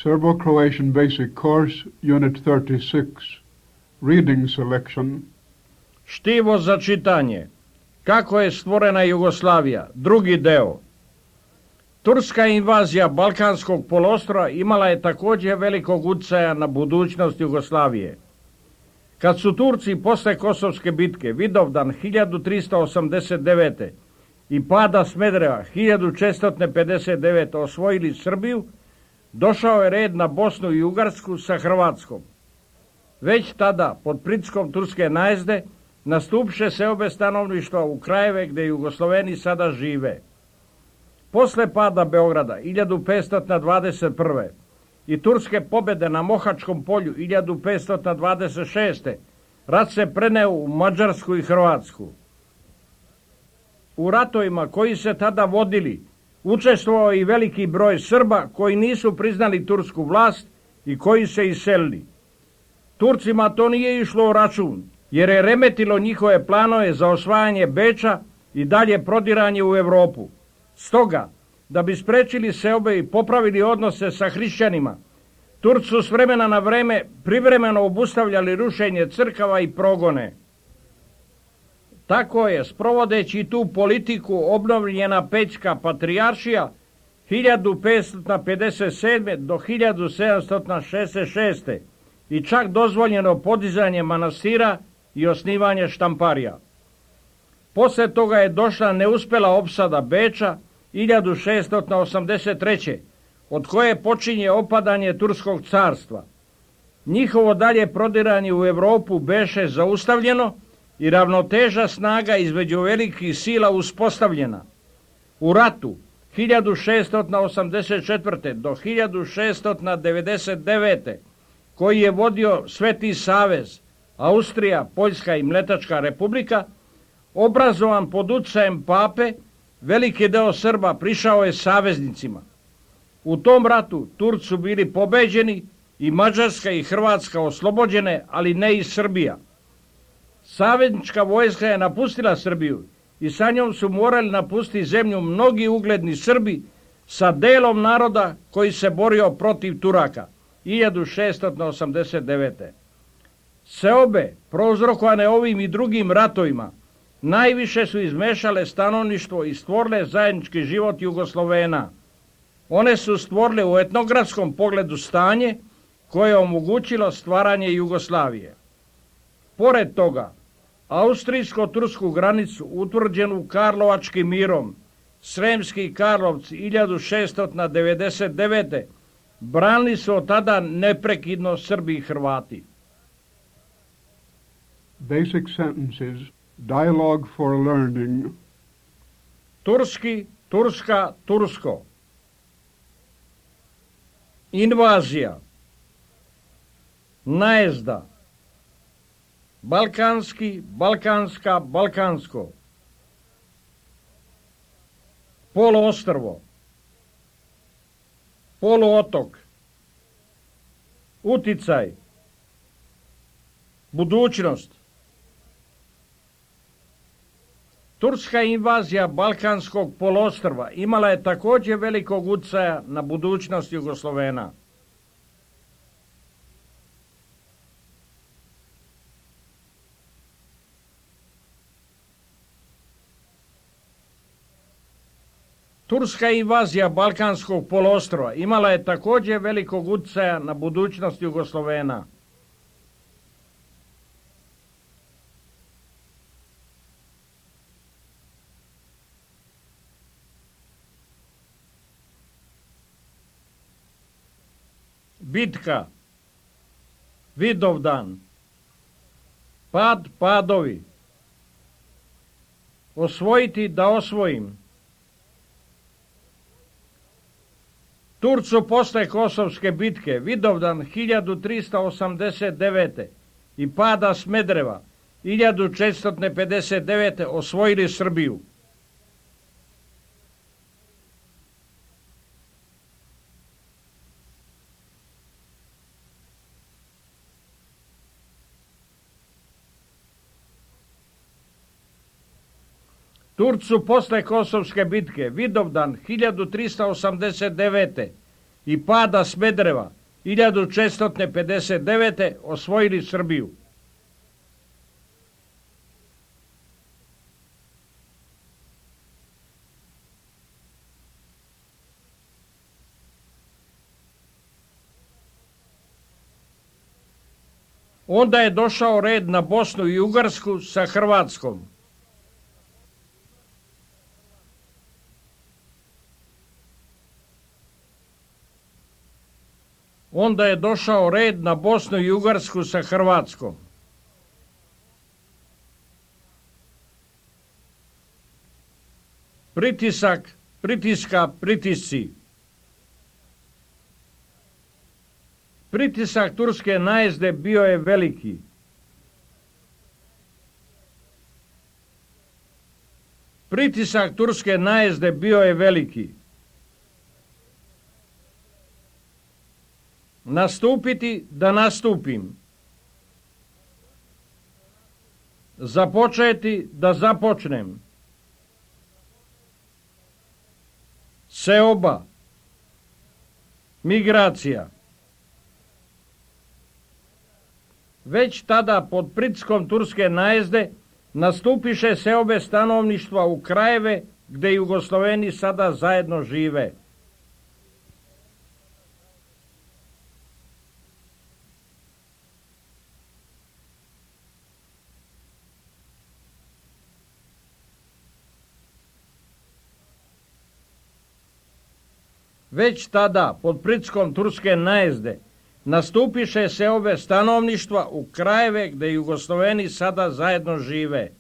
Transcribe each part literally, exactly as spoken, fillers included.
Serbo-Croatian Basic Course, Unit thirty-six, Reading Selection. Štivo za čitanje. Kako je stvorena Jugoslavija? Drugi deo. Turska invazija Balkanskog poluostrva imala je također velikog utjecaja na budućnost Jugoslavije. Kad su Turci posle Kosovske bitke Vidovdan hiljadu trista osamdeset devete. i pada Smedereva hiljadu četiristo pedeset devete. osvojili Srbiju, došao je red na Bosnu i Ugarsku sa Hrvatskom. Već tada, pod pritiskom turske najezde, nastupše seobe stanovništva u krajeve gdje Jugosloveni sada žive. Posle pada Beograda hiljadu petsto dvadeset prve. i turske pobjede na Mohačkom polju hiljadu petsto dvadeset šeste. rat se preneo u Mađarsku i Hrvatsku. U ratovima koji se tada vodili učestvovao i veliki broj Srba koji nisu priznali tursku vlast i koji se iselili. Turcima to nije išlo u račun, jer je remetilo njihove planove za osvajanje Beča i dalje prodiranje u Europu. Stoga, da bi sprečili seobe i popravili odnose sa hrišćanima, Turci su s vremena na vreme privremeno obustavljali rušenje crkava i progone. Tako je, sprovodeći tu politiku, obnovljena Pećka patrijaršija hiljadu petsto pedeset sedme. do hiljadu sedamsto šezdeset šeste. i čak dozvoljeno podizanje manastira i osnivanje štamparija. Poslije toga je došla neuspjela opsada Beča hiljadu šeststo osamdeset treće. od koje počinje opadanje Turskog carstva. Njihovo dalje prodiranje u Europu beše zaustavljeno i ravnoteža snaga između velikih sila uspostavljena. U ratu hiljadu šeststo osamdeset četvrte. do hiljadu šeststo devedeset devete. koji je vodio Sveti savez, Austrija, Poljska i Mletačka republika, obrazovan pod utjecajem pape, veliki deo Srba prišao je saveznicima. U tom ratu Turci su bili pobeđeni i Mađarska i Hrvatska oslobođene, ali ne i Srbija. Saveznička vojska je napustila Srbiju i sa njom su morali napustiti zemlju mnogi ugledni Srbi sa delom naroda koji se borio protiv Turaka hiljadu šeststo osamdeset devete. Seobe, prouzrokovane ovim i drugim ratovima, najviše su izmešale stanovništvo i stvorile zajednički život Jugoslovena. One su stvorile u etnografskom pogledu stanje koje je omogućilo stvaranje Jugoslavije. Pored toga, austrijsko-tursku granicu utvrđenu Karlovačkim mirom, Sremski Karlovci hiljadu šeststo devedeset devete. branili su od tada neprekidno Srbi i Hrvati. Basic sentences, dialogue for learning. Turski, Turska, Tursko. Invazija. Najezda. Balkanski, Balkanska, Balkansko. Poluostrvo. Poluotok. Uticaj. Budućnost. Turska invazija Balkanskog poluostrva imala je također velikog utjecaja na budućnost Jugoslovena. Turska invazija Balkanskog poluostrva imala je također velikog utjecaja na budućnost Jugoslovena. Bitka. Vidovdan. Pad, padovi. Osvojiti da osvojim. Turcu posle Kosovske bitke Vidovdan hiljadu trista osamdeset devete. i pada Smedereva hiljadu četiristo pedeset devete. osvojili Srbiju. Turcu posle Kosovske bitke Vidovdan hiljadu trista osamdeset devete. i pada Smedereva hiljadu četiristo pedeset devete osvojili Srbiju. Onda je došao red na Bosnu i Ugarsku sa Hrvatskom. Onda je došao red na Bosnu i Ugarsku sa Hrvatskom. Pritisak, pritiska, pritisci. Pritisak turske najezde bio je veliki. Pritisak turske najezde bio je veliki. Nastupiti da nastupim. Započeti da započnem. Seoba. Migracija. Već tada pod pritiskom turske najezde nastupiše seobe stanovništva u krajeve gde Jugosloveni sada zajedno žive. Već tada pod pritiskom turske najezde nastupiše seobe stanovništva u krajeve gde Jugosloveni sada zajedno žive.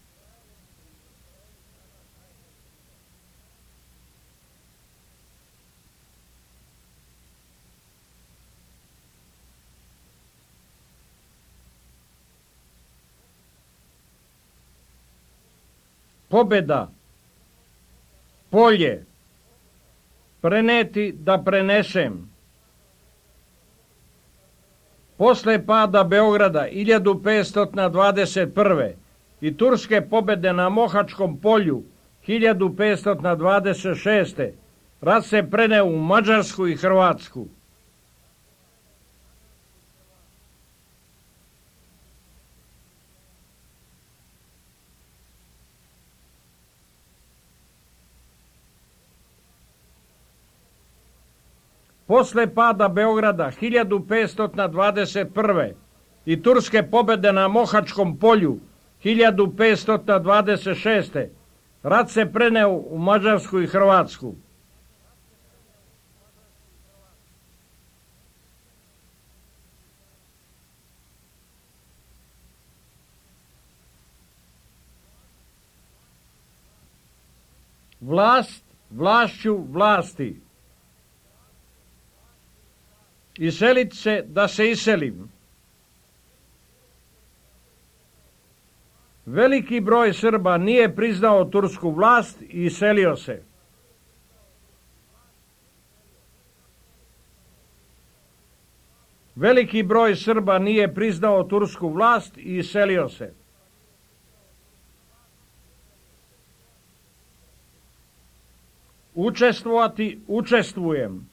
Pobeda, polje, preneti da prenesem. Posle pada Beograda hiljadu petsto dvadeset prve i turske pobede na Mohačkom polju hiljadu petsto dvadeset šeste rat se preneo u Mađarsku i Hrvatsku. Posle pada Beograda hiljadu petsto dvadeset prve i turske pobede na Mohačkom polju hiljadu petsto dvadeset šeste rat se preneo u Mađarsku i Hrvatsku. Vlast vlašću vlasti. Iselit se da se iselim. Veliki broj Srba nije priznao tursku vlast i iselio se. Veliki broj Srba nije priznao tursku vlast i iselio se. Učestvovati, učestvujem.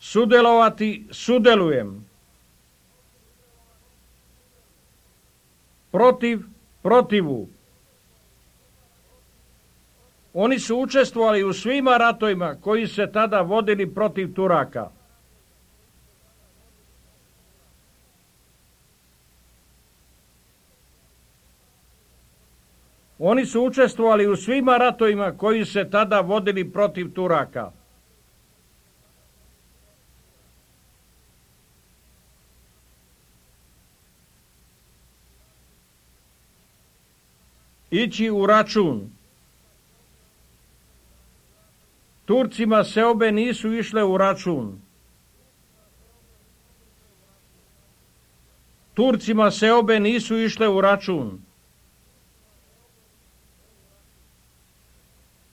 Sudelovati, sudelujem. Protiv, protivu. Oni su učestvovali u svima ratovima koji se tada vodili protiv Turaka. Oni su učestvovali u svima ratovima koji se tada vodili protiv Turaka. Ići u račun. Turcima seobe nisu išle u račun. Turcima seobe nisu išle u račun.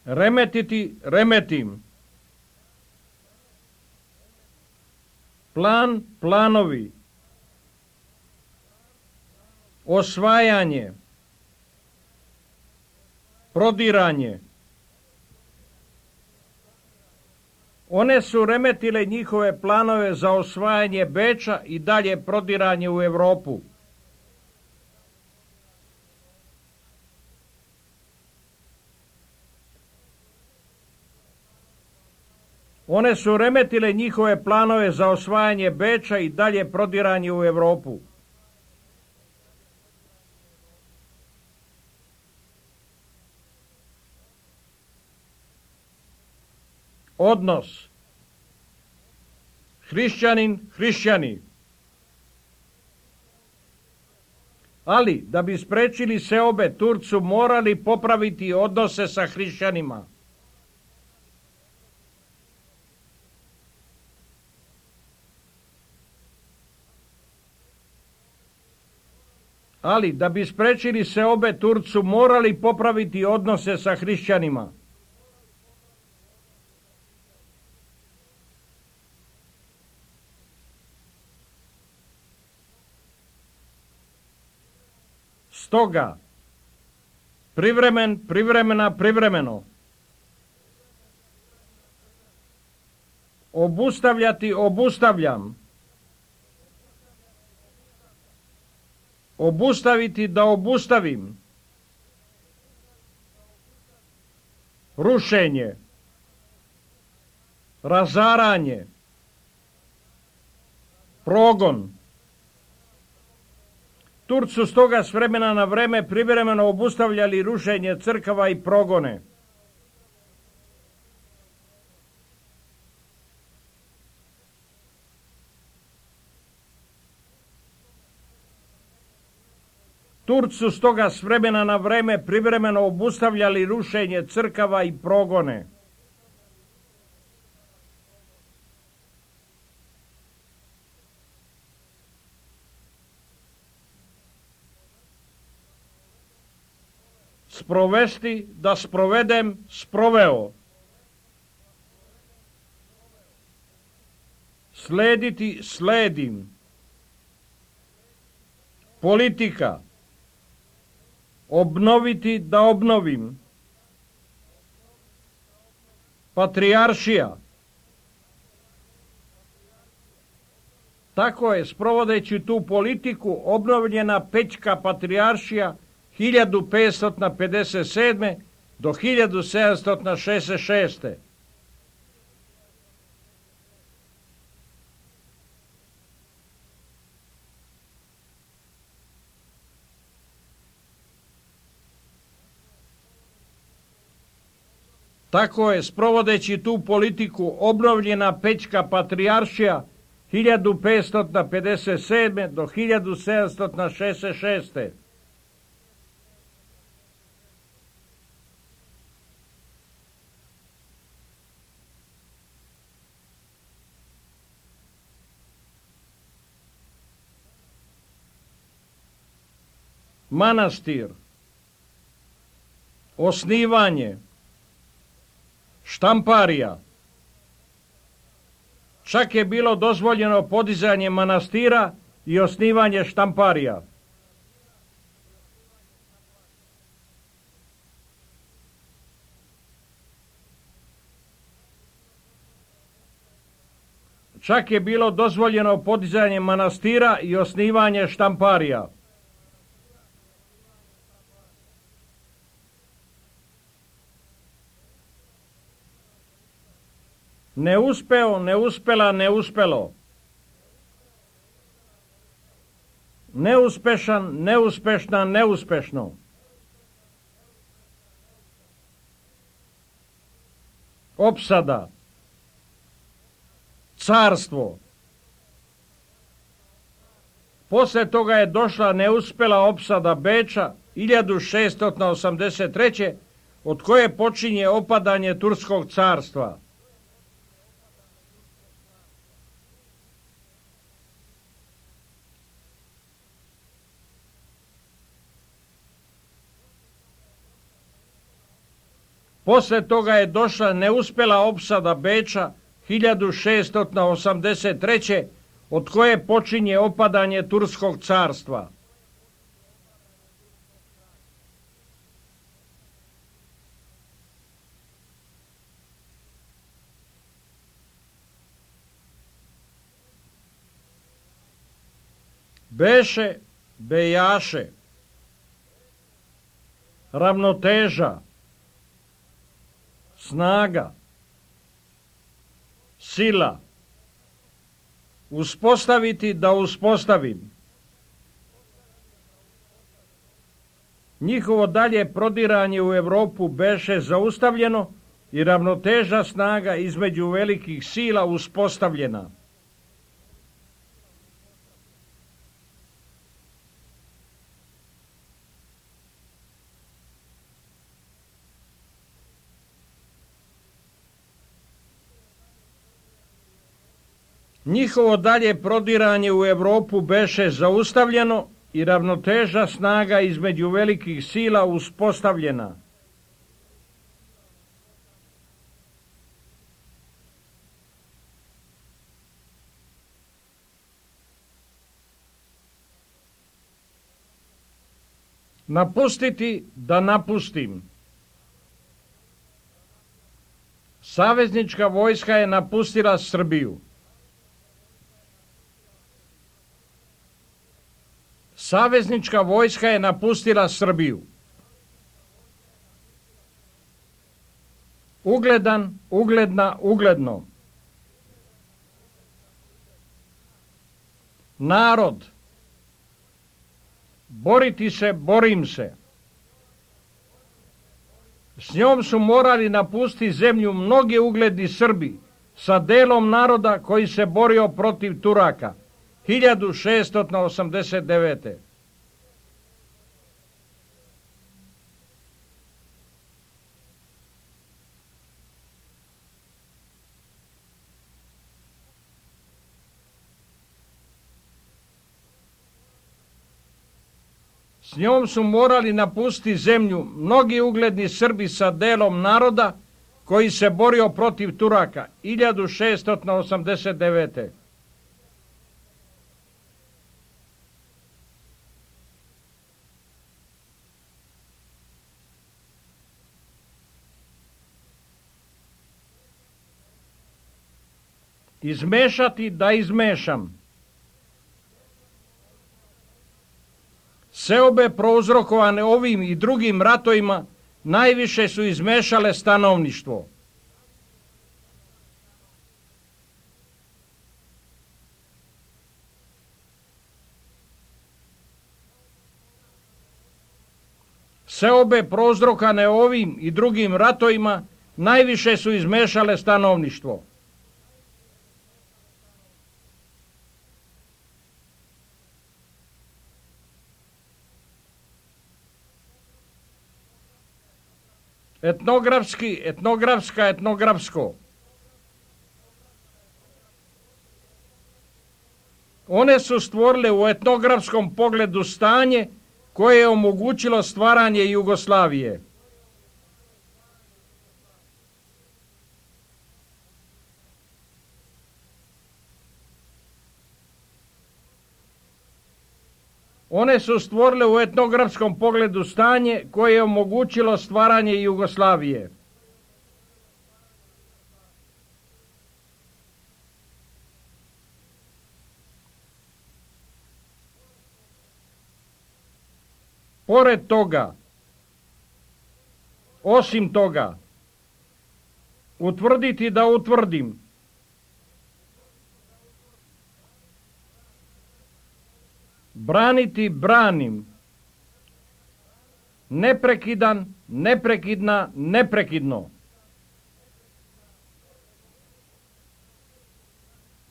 Remetiti, remetim. Plan, planovi. Osvajanje. Prodiranje. One su remetile njihove planove za osvajanje Beča i dalje prodiranje u Europu. One su remetile njihove planove za osvajanje Beča i dalje prodiranje u Europu. Odnos hrišćanin, hrišćani. Ali, da bi sprečili seobe, Turci su morali popraviti odnose sa hrišćanima. Ali, da bi sprečili seobe, Turci su morali popraviti odnose sa hrišćanima. Stoga, privremen, privremena, privremeno. Obustavljati, obustavljam. Obustaviti, da obustavim. Rušenje. Razaranje. Progon. Turci su stoga s vremena na vreme privremeno obustavljali rušenje crkava i progone. Turci su stoga s vremena na vreme privremeno obustavljali rušenje crkava i progone. Sprovesti, da sprovedem, sproveo. Slediti, sledim. Politika. Obnoviti, da obnovim. Patrijaršija. Tako je, sprovodeći tu politiku, obnovljena Pećka patrijaršija hiljadu petsto pedeset sedme do hiljadu sedamsto šezdeset šeste. Tako je, sprovodeći tu politiku, obnovljena Pećka patrijaršija hiljadu petsto pedeset sedme do hiljadu sedamsto šezdeset šeste. Manastir. Osnivanje. Štamparija. Čak je bilo dozvoljeno podizanje manastira i osnivanje štamparija. Čak je bilo dozvoljeno podizanje manastira i osnivanje štamparija. Neuspeo, neuspela, neuspelo. Neuspešan, neuspešna, neuspešno. Opsada. Carstvo. Posle toga je došla neuspela opsada Beča hiljadu šeststo osamdeset treće od koje počinje opadanje Turskog carstva. Posle toga je došla neuspela opsada Beča hiljadu šeststo osamdeset treće od koje počinje opadanje Turskog carstva. beše, bejaše, ravnoteža, snaga, sila, uspostaviti da uspostavim. Njihovo dalje prodiranje u Europu beše zaustavljeno i ravnoteža snaga između velikih sila uspostavljena. Njihovo dalje prodiranje u Europu beše zaustavljeno i ravnoteža snaga između velikih sila uspostavljena. Napustiti da napustim. Saveznička vojska je napustila Srbiju. Saveznička vojska je napustila Srbiju. Ugledan, ugledna, ugledno. Narod. Boriti se, borim se. S njom su morali napustiti zemlju mnogi ugledni Srbi sa delom naroda koji se borio protiv Turaka hiljadu šeststo osamdeset devete. S njom su morali napustiti zemlju mnogi ugledni Srbi sa delom naroda koji se borio protiv Turaka hiljadu šeststo osamdeset devete. Izmešati da izmešam. Seobe prouzrokovane ovim i drugim ratovima najviše su izmešale stanovništvo. Seobe prouzrokovane ovim i drugim ratovima najviše su izmešale stanovništvo. Etnografski, etnografska, etnografsko. One su stvorile u etnografskom pogledu stanje koje je omogućilo stvaranje Jugoslavije. One su stvorile u etnografskom pogledu stanje koje je omogućilo stvaranje Jugoslavije. Pored toga, osim toga, utvrditi da utvrdim, braniti branim, neprekidan, neprekidna, neprekidno.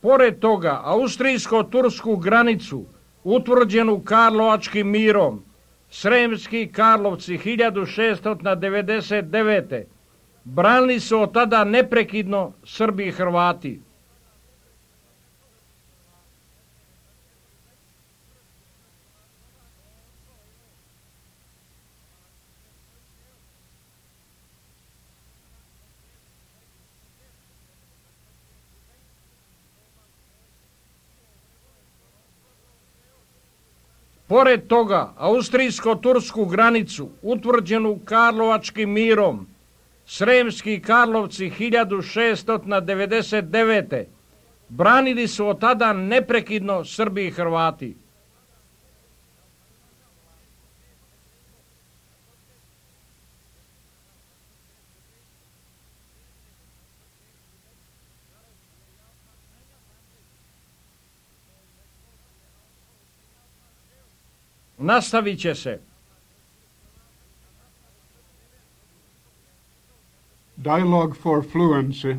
Pored toga, austrijsko-tursku granicu, utvrđenu Karlovačkim mirom, Sremski Karlovci hiljadu šeststo devedeset devete. branili su od tada neprekidno Srbi i Hrvati. Pored toga, austrijsko-tursku granicu, utvrđenu Karlovačkim mirom, Sremski Karlovci hiljadu šeststo devedeset devete. branili su od tada neprekidno Srbi i Hrvati. Nastavit će se. Dialogue for Fluency.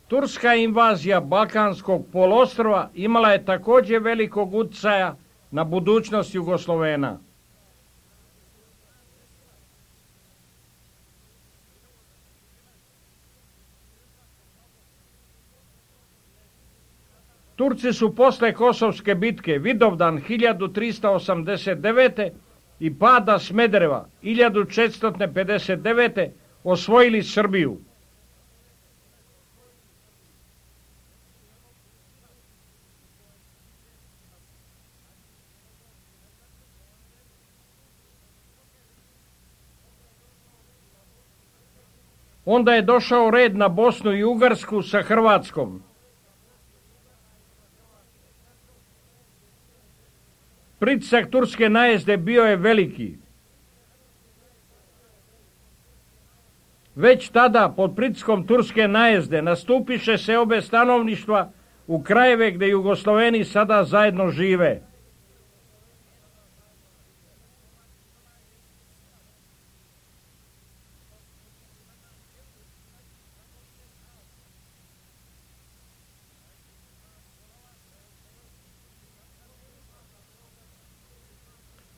Turska invazija Balkanskog poluostrva imala je također velikog utjecaja na budućnost Jugoslovena. Turci su posle Kosovske bitke Vidovdan hiljadu trista osamdeset devete i pada Smedereva hiljadu četiristo pedeset devete osvojili Srbiju. Onda je došao red na Bosnu i Ugarsku sa Hrvatskom. Pritisak turske najezde bio je veliki. Već tada, pod pritiskom turske najezde, nastupiše se obe stanovništva u krajeve gdje Jugosloveni sada zajedno žive.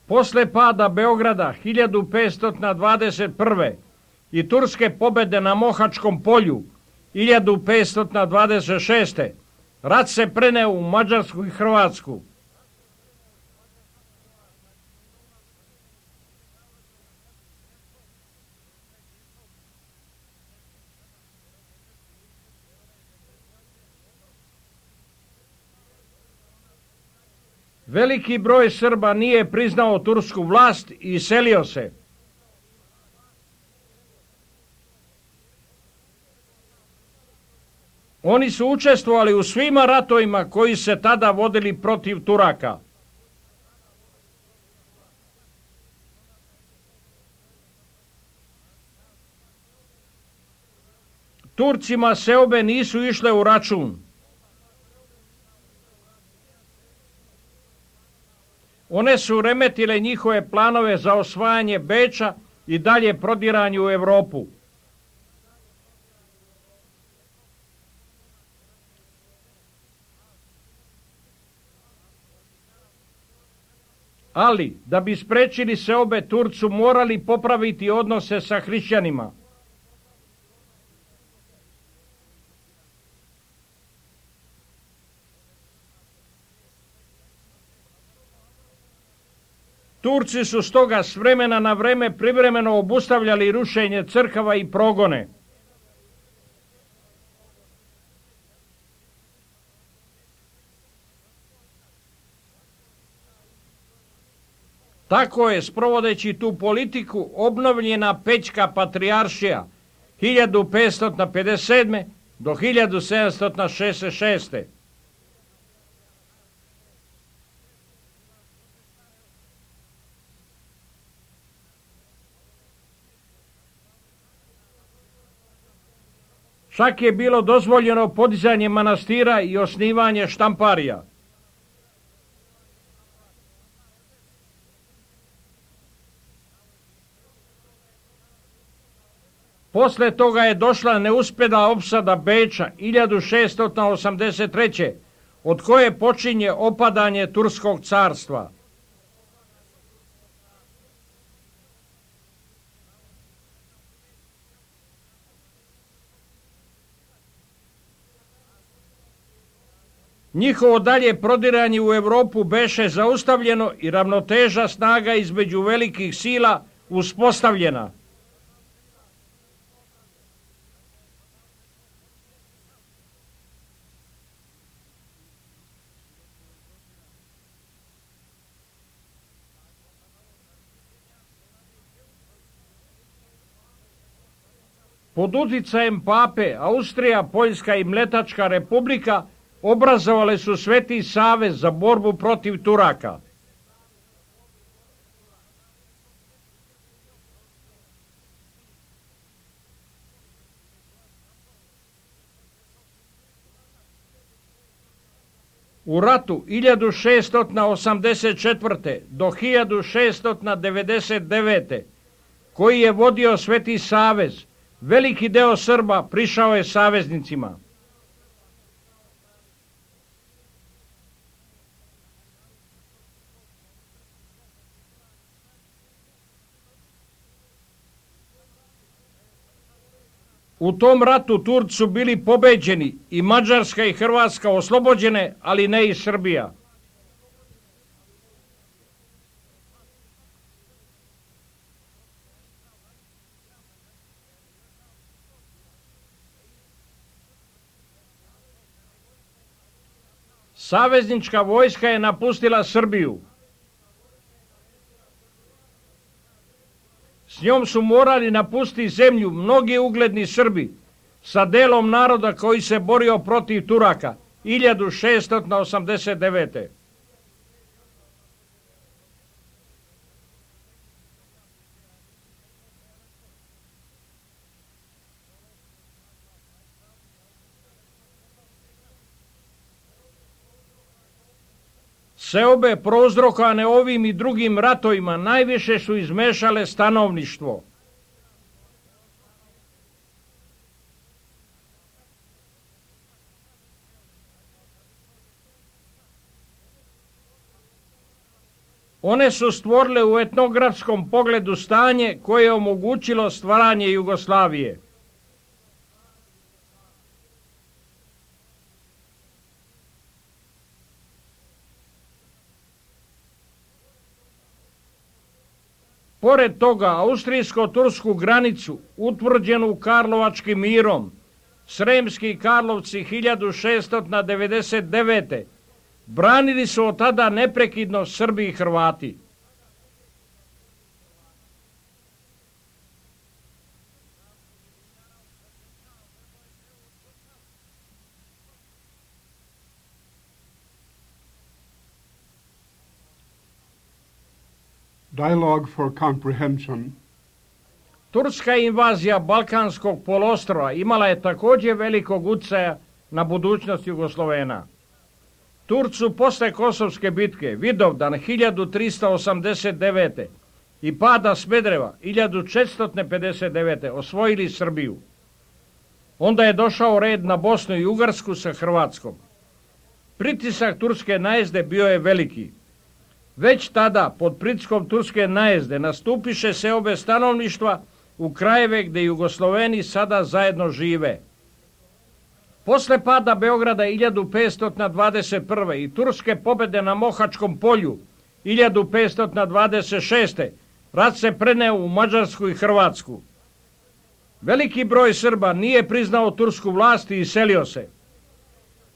Posle pada Beograda hiljadu petsto dvadeset prve i turske pobjede na Mohačkom polju hiljadu petsto dvadeset šeste rat se preneo u Mađarsku i Hrvatsku. Veliki broj Srba nije priznao tursku vlast i iselio se. Oni su učestvovali u svima ratovima koji se tada vodili protiv Turaka. Turcima seobe nisu išle u račun. One su remetile njihove planove za osvajanje Beča i dalje prodiranje u Europu. Ali, da bi sprečili seobe, Turci morali popraviti odnose sa hrišćanima. Turci su stoga s vremena na vreme privremeno obustavljali rušenje crkava i progone. Tako je, sprovodeći tu politiku, obnovljena Pećka patrijaršija hiljadu petsto pedeset sedme do hiljadu sedamsto šezdeset šeste. Čak je bilo dozvoljeno podizanje manastira i osnivanje štamparija. Posle toga je došla neuspjela opsada Beča hiljadu šeststo osamdeset treće od koje počinje opadanje Turskog carstva. Njihovo dalje prodiranje u Europu beše zaustavljeno i ravnoteža snaga između velikih sila uspostavljena. Pod utjecajem pape Austrija, Poljska i Mletačka republika obrazovale su Sveti savez za borbu protiv Turaka. U ratu hiljadu šeststo osamdeset četvrte. do hiljadu šeststo devedeset devete. koji je vodio Sveti savez, veliki deo Srba prišao je saveznicima. U tom ratu Turci su bili pobeđeni i Mađarska i Hrvatska oslobođene, ali ne i Srbija. Saveznička vojska je napustila Srbiju. S njom su morali napustiti zemlju mnogi ugledni Srbi sa delom naroda koji se borio protiv Turaka hiljadu šeststo osamdeset devete. Seobe prouzrokovane ovim i drugim ratovima najviše su izmešale stanovništvo. One su stvorile u etnografskom pogledu stanje koje je omogućilo stvaranje Jugoslavije. Pored toga, austrijsko-tursku granicu, utvrđenu Karlovačkim mirom, Sremski Karlovci hiljadu šeststo devedeset devete. branili su od tada neprekidno Srbi i Hrvati. Dialogue for comprehension. Turska invazija Balkanskog poluostrva imala je također velikog utjecaja na budućnost Jugoslovena. Turci su posle Kosovske bitke Vidovdan hiljadu tristo osamdeset devete. i pada Smedereva hiljadu četiristo pedeset devete. osvojili Srbiju. Onda je došao red na Bosnu i Ugarsku sa Hrvatskom. Pritisak turske najezde bio je veliki. Već tada, pod pritiskom turske najezde, nastupiše seobe stanovništva u krajeve gdje Jugosloveni sada zajedno žive. Posle pada Beograda hiljadu petsto dvadeset prve. i turske pobjede na Mohačkom polju hiljadu petsto dvadeset šeste. rat se preneo u Mađarsku i Hrvatsku. Veliki broj Srba nije priznao tursku vlast i iselio se.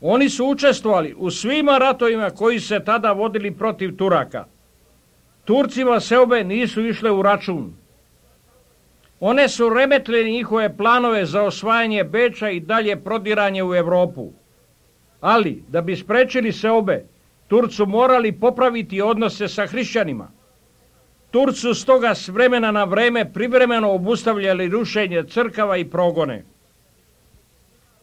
Oni su učestvovali u svima ratovima koji se tada vodili protiv Turaka. Turcima seobe nisu išle u račun. One su remetile njihove planove za osvajanje Beča i dalje prodiranje u Europu. Ali, da bi sprečili seobe, Turci su morali popraviti odnose sa hrišćanima. Turci su stoga s vremena na vreme privremeno obustavljali rušenje crkava i progone.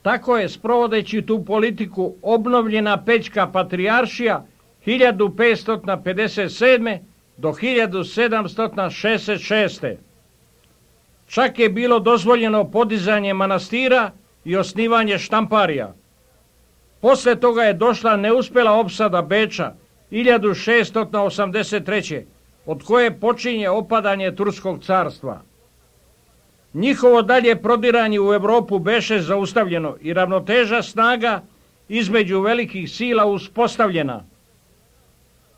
Tako je, sprovodeći tu politiku, obnovljena Pećka patrijaršija hiljadu petsto pedeset sedme. do hiljadu sedamsto šezdeset šeste. Čak je bilo dozvoljeno podizanje manastira i osnivanje štamparija. Posle toga je došla neuspjela opsada Beča hiljadu šeststo osamdeset treće. od koje počinje opadanje Turskog carstva. Njihovo dalje prodiranje u Europu beše zaustavljeno i ravnoteža snaga između velikih sila uspostavljena.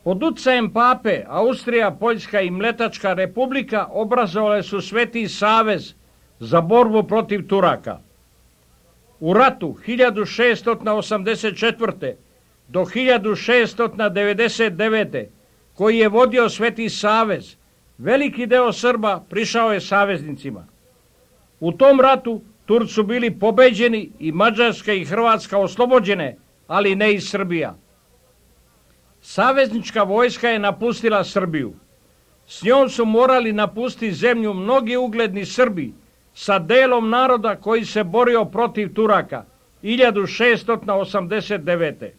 Pod utjecajem pape Austrija, Poljska i Mletačka republika obrazovale su Sveti savez za borbu protiv Turaka. U ratu hiljadu šeststo osamdeset četvrte. do hiljadu šeststo devedeset devete. koji je vodio Sveti savez, veliki deo Srba prišao je saveznicima. U tom ratu Turci su bili pobeđeni i Mađarska i Hrvatska oslobođene, ali ne i Srbija. Saveznička vojska je napustila Srbiju. S njom su morali napustiti zemlju mnogi ugledni Srbi sa delom naroda koji se borio protiv Turaka hiljadu šeststo osamdeset devete.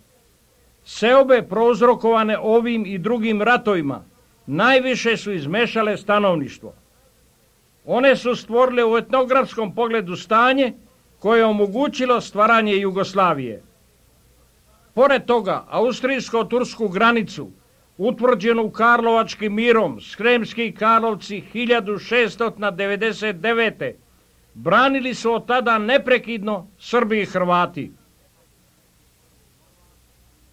seobe prouzrokovane ovim i drugim ratovima najviše su izmešale stanovništvo. One su stvorile u etnografskom pogledu stanje koje je omogućilo stvaranje Jugoslavije. Pored toga, austrijsko-tursku granicu, utvrđenu Karlovačkim mirom, Sremski Karlovci hiljadu šeststo devedeset devete. branili su od tada neprekidno Srbi i Hrvati.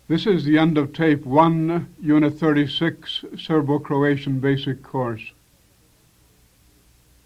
This is the end of tape one, Unit thirty-six, Serbo-Croatian Basic Course.